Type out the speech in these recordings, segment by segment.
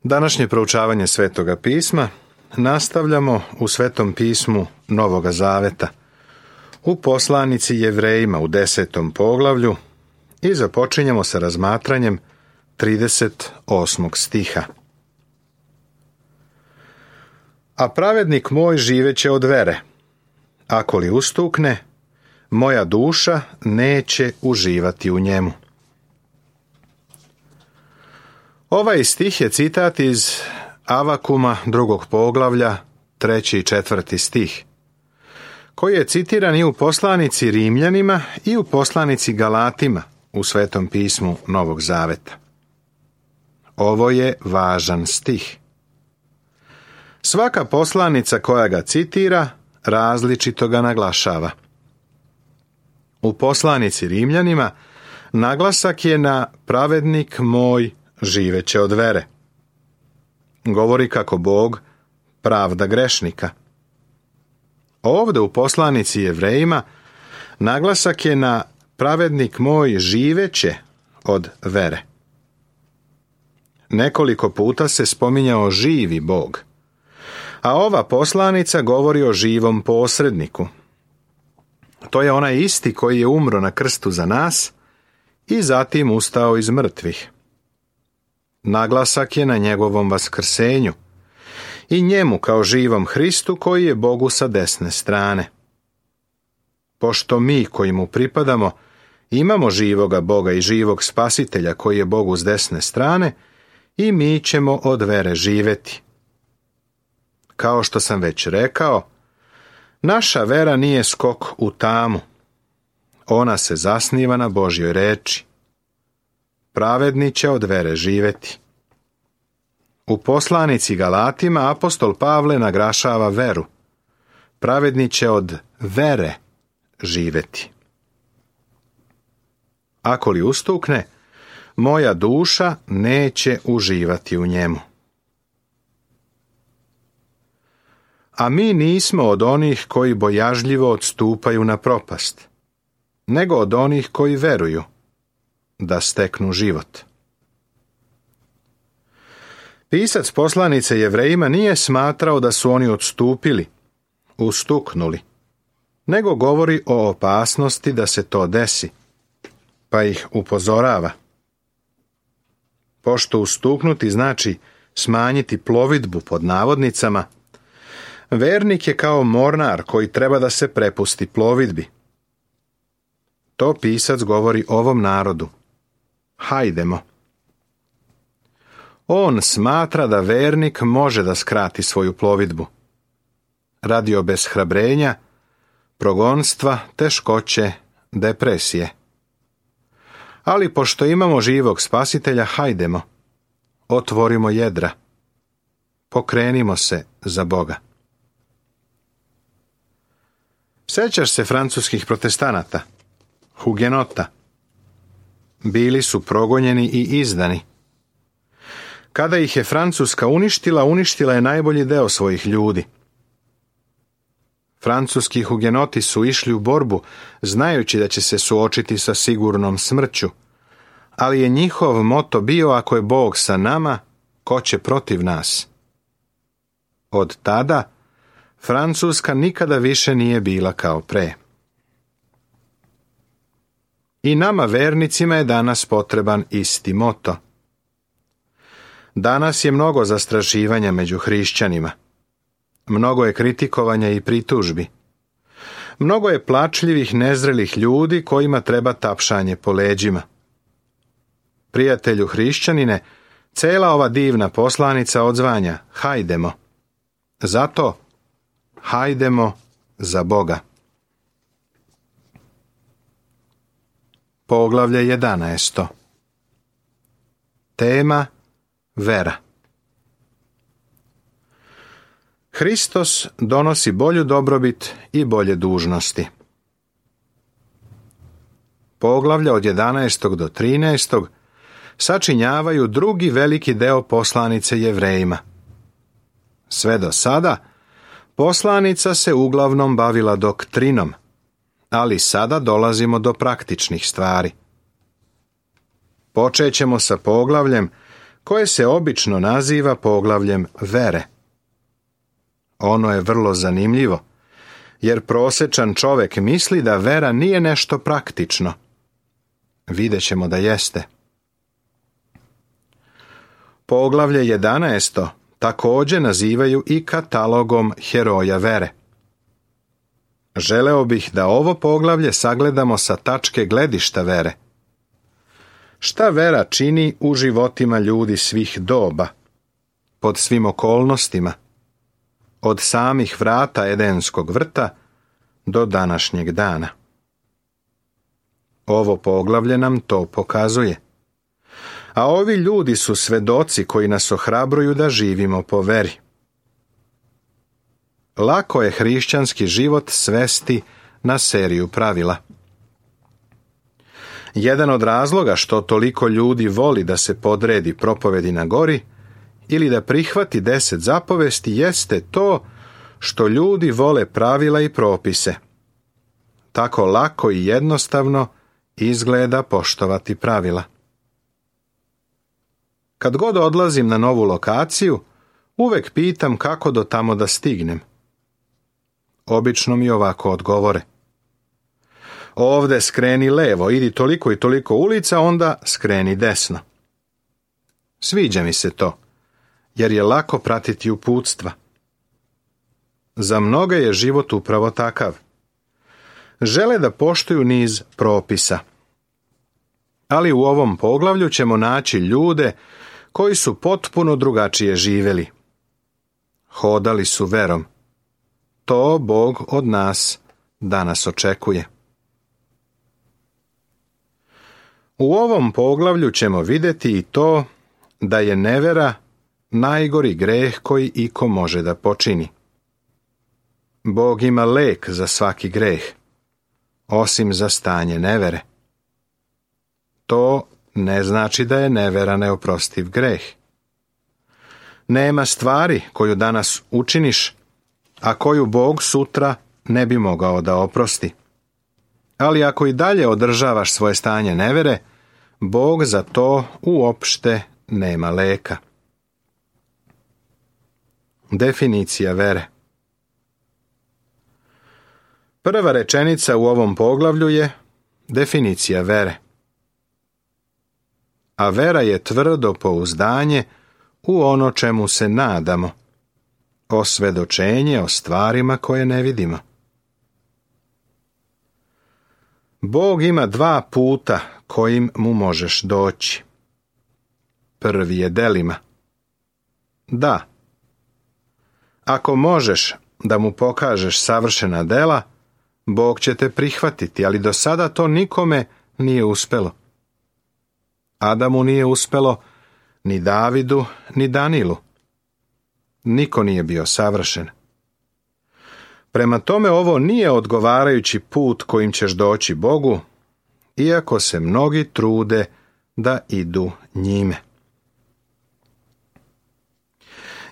Današnje proučavanje Svetoga pisma nastavljamo u Svetom pismu Novoga Zaveta, u poslanici Jevrejima u 10. poglavlju i započinjemo sa razmatranjem 38. stiha. A pravednik moj živeće od vere, ako li ustukne, moja duša neće uživati u njemu. Ovaj stih je citat iz Avakuma 2. poglavlja, 3. i 4. stih, koji je citiran i u poslanici Rimljanima i u poslanici Galatima u Svetom pismu Novog Zaveta. Ovo je važan stih. Svaka poslanica koja ga citira različito ga naglašava. U poslanici Rimljanima naglasak je na pravednik moj živeće od vere. Govori kako Bog pravda grešnika. Ovdje u poslanici Jevrejima naglasak je na pravednik moj živeće od vere. Nekoliko puta se spominjao živi Bog, a ova poslanica govori o živom posredniku. To je onaj isti koji je umro na krstu za nas i zatim ustao iz mrtvih. Naglasak je na njegovom vaskrsenju i njemu kao živom Hristu koji je Bogu sa desne strane. Pošto mi koji mu pripadamo imamo živoga Boga i živog Spasitelja koji je Bogu s desne strane, i mi ćemo od vere živjeti. Kao što sam već rekao, naša vera nije skok u tamu. Ona se zasniva na Božjoj reči. Pravedni će od vere živjeti. U poslanici Galatima apostol Pavle naglašava veru. Pravedni će od vere živjeti. Ako li ustukne, moja duša neće uživati u njemu. A mi nismo od onih koji bojažljivo odstupaju na propast, nego od onih koji veruju da steknu život. Pisac poslanice Jevrejima nije smatrao da su oni odstupili, ustuknuli, nego govori o opasnosti da se to desi, pa ih upozorava. Pošto ustuknuti znači smanjiti plovidbu pod navodnicama, vernik je kao mornar koji treba da se prepusti plovidbi. To pisac govori ovom narodu. Hajdemo. On smatra da vernik može da skrati svoju plovidbu. Radi obeshrabrenja, progonstva, teškoće, depresije. Ali pošto imamo živog Spasitelja, hajdemo. Otvorimo jedra. Pokrenimo se za Boga. Sjećaš se francuskih protestanata, hugenota? Bili su progonjeni i izdani. Kada ih je Francuska uništila je najbolji deo svojih ljudi. Francuski hugenoti su išli u borbu, znajući da će se suočiti sa sigurnom smrću, ali je njihov moto bio: ako je Bog sa nama, ko će protiv nas? Od tada Francuska nikada više nije bila kao pre. I nama vernicima je danas potreban isti moto. Danas je mnogo zastrašivanja među hrišćanima. Mnogo je kritikovanja i pritužbi. Mnogo je plačljivih, nezrelih ljudi kojima treba tapšanje po leđima. Prijatelju hrišćanine, cela ova divna poslanica odzvanja: hajdemo. Zato hajdemo za Boga. Poglavlje 11. Tema: vera. Hristos donosi bolju dobrobit i bolje dužnosti. Poglavlja od 11. do 13. sačinjavaju drugi veliki deo poslanice Jevrejima. Sve do sada poslanica se uglavnom bavila doktrinom, ali sada dolazimo do praktičnih stvari. Počet ćemo sa poglavljem koje se obično naziva poglavljem vere. Ono je vrlo zanimljivo, jer prosječan čovjek misli da vera nije nešto praktično. Vidjet ćemo da jeste. Poglavlje 11. također nazivaju i katalogom heroja vere. Želeo bih da ovo poglavlje sagledamo sa tačke gledišta vere. Šta vera čini u životima ljudi svih doba, pod svim okolnostima, od samih vrata Edenskog vrta do današnjeg dana. Ovo poglavlje nam to pokazuje. A ovi ljudi su svedoci koji nas ohrabruju da živimo po veri. Lako je hrišćanski život svesti na seriju pravila. Jedan od razloga što toliko ljudi voli da se podredi propovedi na gori ili da prihvati 10 zapovesti jeste to što ljudi vole pravila i propise. Tako lako i jednostavno izgleda poštovati pravila. Kad god odlazim na novu lokaciju, uvek pitam kako do tamo da stignem. Obično mi ovako odgovore. Ovde skreni levo, idi toliko i toliko ulica, onda skreni desno. Sviđa mi se to, jer je lako pratiti uputstva. Za mnoge je život upravo takav. Žele da poštuju niz propisa. Ali u ovom poglavlju ćemo naći ljude koji su potpuno drugačije živjeli. Hodali su verom. To Bog od nas danas očekuje. U ovom poglavlju ćemo vidjeti i to da je nevera najgori greh koji iko može da počini. Bog ima lek za svaki greh, osim za stanje nevere. To ne znači da je nevera neoprostiv greh. Nema stvari koju danas učiniš, a koju Bog sutra ne bi mogao da oprosti. Ali ako i dalje održavaš svoje stanje nevere, Bog za to uopšte nema leka. Definicija vere. Prva rečenica u ovom poglavlju je definicija vere. A vera je tvrdo pouzdanje u ono čemu se nadamo, osvedočenje o stvarima koje ne vidimo. Bog ima 2 puta kojim mu možeš doći. Prvi je delima. Da. Ako možeš da mu pokažeš savršena dela, Bog će te prihvatiti, ali do sada to nikome nije uspelo. Adamu nije uspelo, ni Davidu, ni Danilu. Niko nije bio savršen. Prema tome ovo nije odgovarajući put kojim ćeš doći Bogu, iako se mnogi trude da idu njime.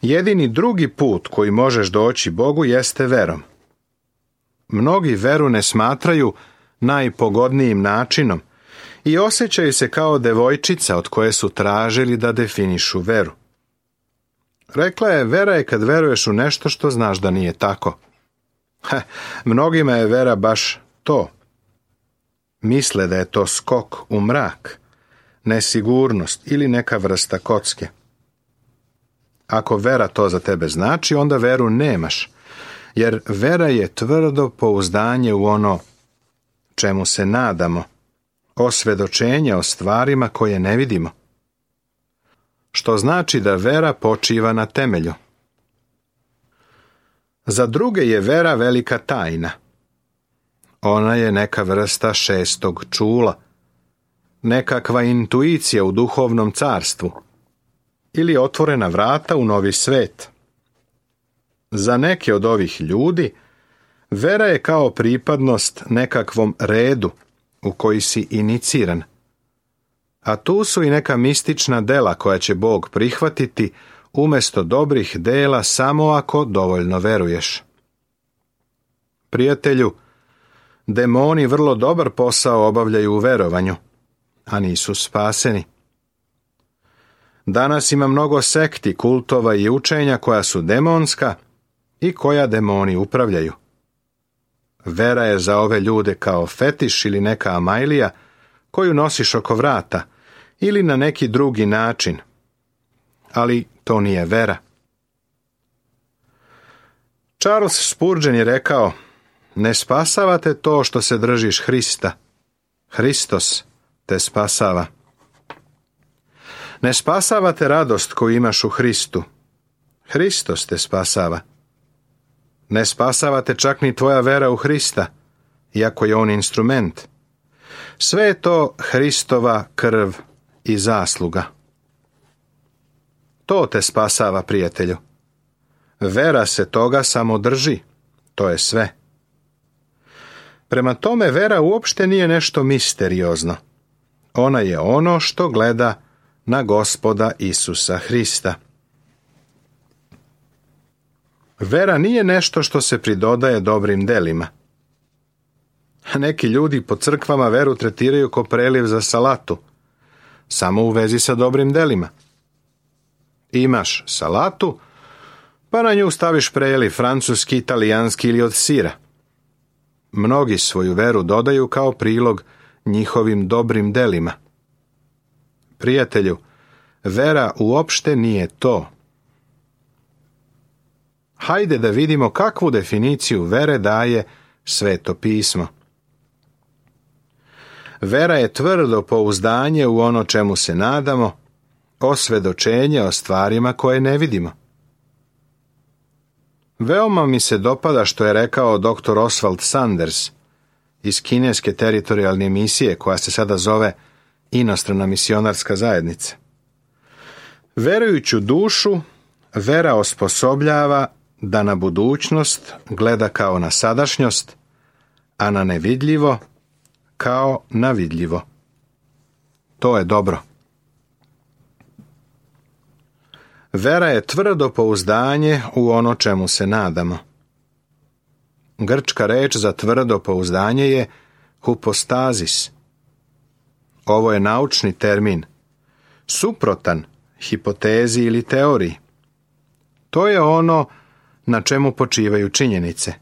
Jedini drugi put koji možeš doći Bogu jeste verom. Mnogi veru ne smatraju najpogodnijim načinom i osjećaju se kao devojčica od koje su tražili da definišu veru. Rekla je, vera je kad veruješ u nešto što znaš da nije tako. Mnogima je vera baš to. Misle da je to skok u mrak, nesigurnost ili neka vrsta kocke. Ako vera to za tebe znači, onda veru nemaš, jer vera je tvrdo pouzdanje u ono čemu se nadamo, osvedočenje o stvarima koje ne vidimo. Što znači da vera počiva na temelju. Za druge je vera velika tajna. Ona je neka vrsta 6. čula, nekakva intuicija u duhovnom carstvu ili otvorena vrata u novi svet. Za neke od ovih ljudi vera je kao pripadnost nekakvom redu u koji si iniciran. A tu su i neka mistična dela koja će Bog prihvatiti umjesto dobrih dela samo ako dovoljno veruješ. Prijatelju, demoni vrlo dobar posao obavljaju u verovanju, a nisu spaseni. Danas ima mnogo sekti, kultova i učenja koja su demonska i koja demoni upravljaju. Vera je za ove ljude kao fetiš ili neka amajlija koju nosiš oko vrata ili na neki drugi način. Ali to nije vera. Charles Spurgeon je rekao: ne spasavate to što se držiš Hrista. Hristos te spasava. Ne spasavate radost koju imaš u Hristu. Hristos te spasava. Ne spasavate čak ni tvoja vera u Hrista, iako je on instrument. Sve je to Hristova krv i zasluga. To te spasava, prijatelju. Vera se toga samo drži. To je sve. Prema tome, vera uopšte nije nešto misteriozno. Ona je ono što gleda na Gospoda Isusa Hrista. Vera nije nešto što se pridodaje dobrim delima. Neki ljudi po crkvama veru tretiraju kao preliv za salatu, samo u vezi sa dobrim delima. Imaš salatu, pa na nju staviš preliv francuski, italijanski ili od sira. Mnogi svoju veru dodaju kao prilog njihovim dobrim delima. Prijatelju, vera uopšte nije to. Hajde da vidimo kakvu definiciju vere daje Sveto pismo. Vera je tvrdo pouzdanje u ono čemu se nadamo, osvedočenje o stvarima koje ne vidimo. Veoma mi se dopada što je rekao dr. Oswald Sanders iz kineske teritorijalne misije koja se sada zove Inostrana misionarska zajednica. Verujuću dušu, vera osposobljava da na budućnost gleda kao na sadašnjost, a na nevidljivo kao na vidljivo. To je dobro. Vera je tvrdo pouzdanje u ono čemu se nadamo. Grčka reč za tvrdo pouzdanje je hypostasis. Ovo je naučni termin, suprotan hipotezi ili teoriji. To je ono na čemu počivaju činjenice.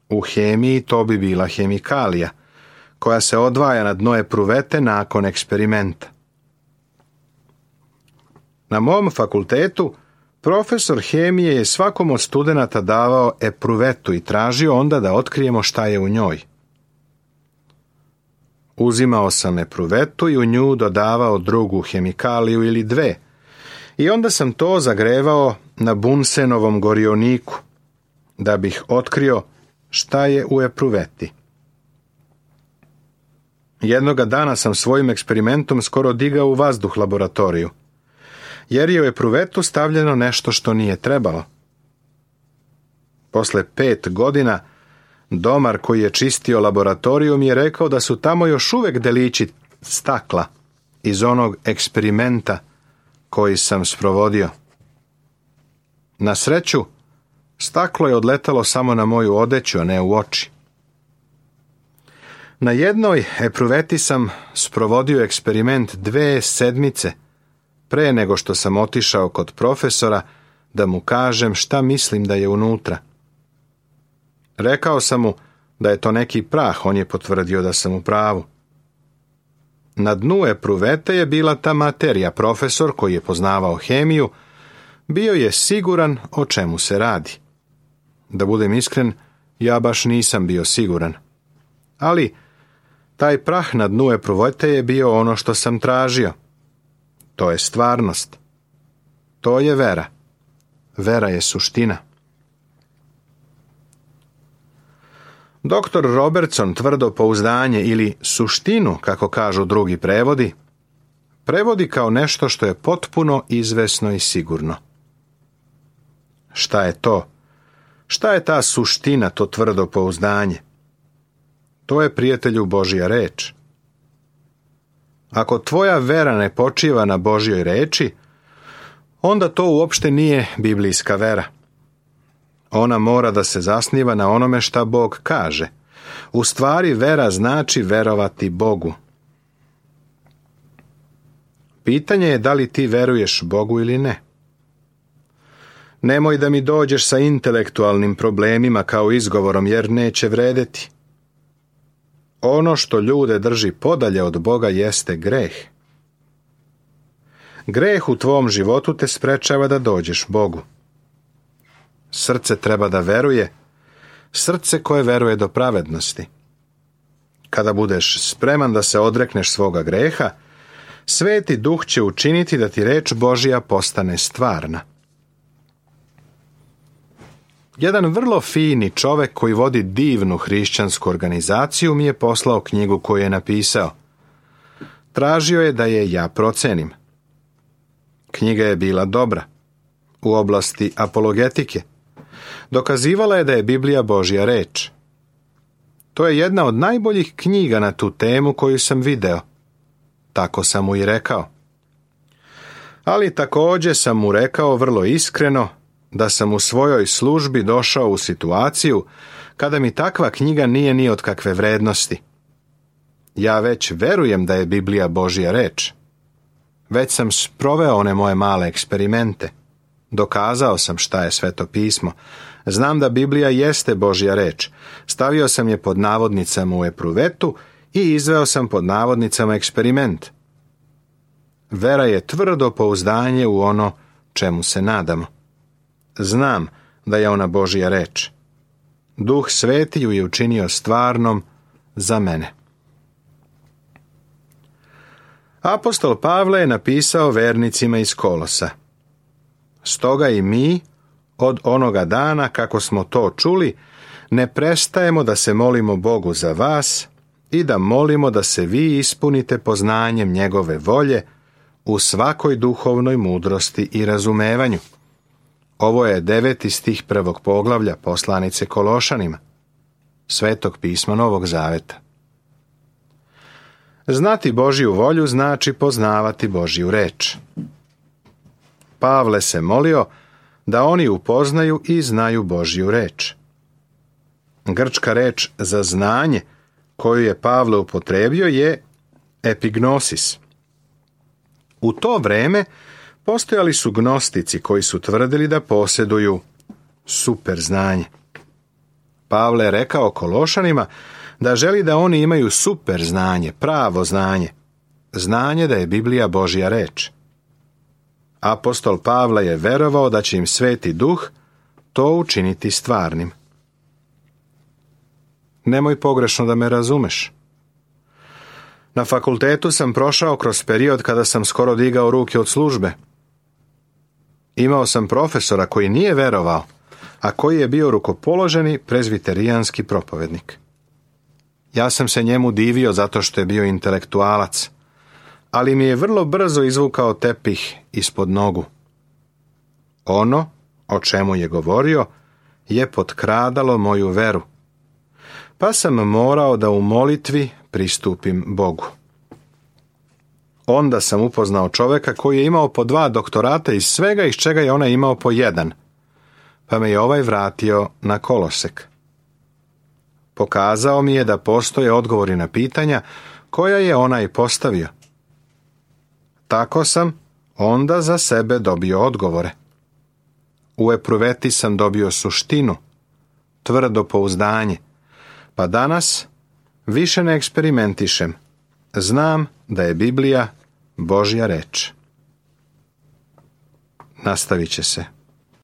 U hemiji to bi bila hemikalija, koja se odvaja na dno epruvete nakon eksperimenta. Na mom fakultetu profesor hemije je svakom od studenata davao epruvetu i tražio onda da otkrijemo šta je u njoj. Uzimao sam epruvetu i u nju dodavao drugu hemikaliju ili dve, i onda sam to zagrevao na Bunsenovom gorioniku, da bih otkrio šta je u epruveti. Jednoga dana sam svojim eksperimentom skoro digao u vazduh laboratoriju, jer je u epruvetu stavljeno nešto što nije trebalo. Posle 5 godina, domar koji je čistio laboratoriju mi je rekao da su tamo još uvek delići stakla iz onog eksperimenta koji sam sprovodio. Na sreću, staklo je odletalo samo na moju odeću, a ne u oči. Na jednoj epruveti sam sprovodio eksperiment 2 sedmice pre nego što sam otišao kod profesora da mu kažem šta mislim da je unutra. Rekao sam mu da je to neki prah, on je potvrdio da sam u pravu. Na dnu epruvete je bila ta materija. Profesor, koji je poznavao hemiju, bio je siguran o čemu se radi. Da budem iskren, ja baš nisam bio siguran. Ali taj prah na dnu epruvete je bio ono što sam tražio. To je stvarnost. To je vera. Vera je suština. Dr. Robertson tvrdo pouzdanje ili suštinu, kako kažu drugi prevodi, prevodi kao nešto što je potpuno izvesno i sigurno. Šta je to? Šta je ta suština, to tvrdo pouzdanje? To je, prijatelju, Božja reč. Ako tvoja vera ne počiva na Božjoj reči, onda to uopšte nije biblijska vera. Ona mora da se zasniva na onome šta Bog kaže. U stvari, vera znači verovati Bogu. Pitanje je da li ti veruješ Bogu ili ne. Nemoj da mi dođeš sa intelektualnim problemima kao izgovorom, jer neće vredeti. Ono što ljude drži podalje od Boga jeste greh. Greh u tvom životu te sprečava da dođeš Bogu. Srce treba da veruje, srce koje veruje do pravednosti. Kada budeš spreman da se odrekneš svoga greha, Sveti Duh će učiniti da ti reč Božja postane stvarna. Jedan vrlo fini čovek koji vodi divnu hrišćansku organizaciju mi je poslao knjigu koju je napisao. Tražio je da je ja procenim. Knjiga je bila dobra. U oblasti apologetike. Dokazivala je da je Biblija Božja reč. To je jedna od najboljih knjiga na tu temu koju sam video. Tako sam mu i rekao. Ali također sam mu rekao vrlo iskreno da sam u svojoj službi došao u situaciju kada mi takva knjiga nije ni od kakve vrednosti. Ja već verujem da je Biblija Božja reč. Već sam sproveo one moje male eksperimente. Dokazao sam šta je Sveto pismo. Znam da Biblija jeste Božja reč. Stavio sam je pod navodnicama u epruvetu i izveo sam pod navodnicama eksperiment. Vera je tvrdo pouzdanje u ono čemu se nadamo. Znam da je ona Božja reč. Duh Sveti ju je učinio stvarnom za mene. Apostol Pavle je napisao vernicima iz Kolosa. Stoga i mi, od onoga dana kako smo to čuli, ne prestajemo da se molimo Bogu za vas i da molimo da se vi ispunite poznanjem njegove volje u svakoj duhovnoj mudrosti i razumevanju. Ovo je 9. stih 1. poglavlja poslanice Kološanima, Svetog pisma Novog Zaveta. Znati Božju volju znači poznavati Božju reč. Pavle se molio da oni upoznaju i znaju Božju reč. Grčka reč za znanje koju je Pavle upotrebio je epignosis. U to vreme postojali su gnostici koji su tvrdili da posjeduju super znanje. Pavle je rekao Kološanima da želi da oni imaju super znanje, pravo znanje, znanje da je Biblija Božja reč. Apostol Pavle je verovao da će im Sveti Duh to učiniti stvarnim. Nemoj pogrešno da me razumeš. Na fakultetu sam prošao kroz period kada sam skoro digao ruke od službe. Imao sam profesora koji nije verovao, a koji je bio rukopoloženi prezbiterijanski propovednik. Ja sam se njemu divio zato što je bio intelektualac, ali mi je vrlo brzo izvukao tepih ispod nogu. Ono o čemu je govorio je potkradalo moju veru, pa sam morao da u molitvi pristupim Bogu. Onda sam upoznao čoveka koji je imao po 2 doktorata iz svega iz čega je onaj imao po 1, pa me je ovaj vratio na kolosek. Pokazao mi je da postoje odgovori na pitanja koja je onaj postavio. Tako sam onda za sebe dobio odgovore. U epruveti sam dobio suštinu, tvrdo pouzdanje, pa danas više ne eksperimentišem. Znam da je Biblija Božja reč. Nastavit će se.